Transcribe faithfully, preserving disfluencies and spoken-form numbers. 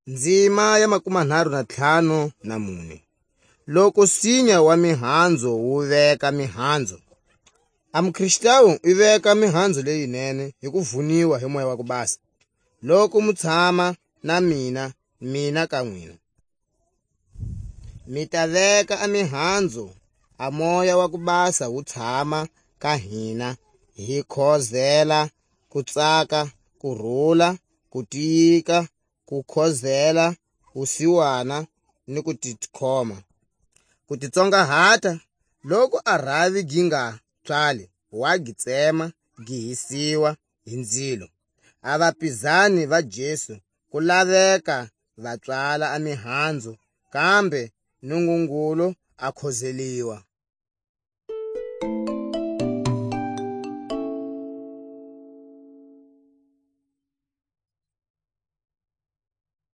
Ndzima ya makumanharhu na ntlhanu na mune. Loku sinya wa mihanzo wu veka mihanzo, a muKristawu i veka mihanzo leyinene hi ku vuniwa hi Moya wa ku Basa. Loku mu tshama na mina, mina ka n'wina, mi ta veka a mihanzo, a Moya wa ku Basa wu tshama ka hina, hi khozela, ku tsaka, ku rula, ku tiyika, ku khozela, wusiwana, ni ku tikhoma. Ku titsongahata, loku a rhavi gi nga pswali, wa gi tsema, gi hisiwa hi ndzilo. A vapizani va Jesu ku laveka va pswala a mihanzu, kambe Nungungulu a khozeliwa.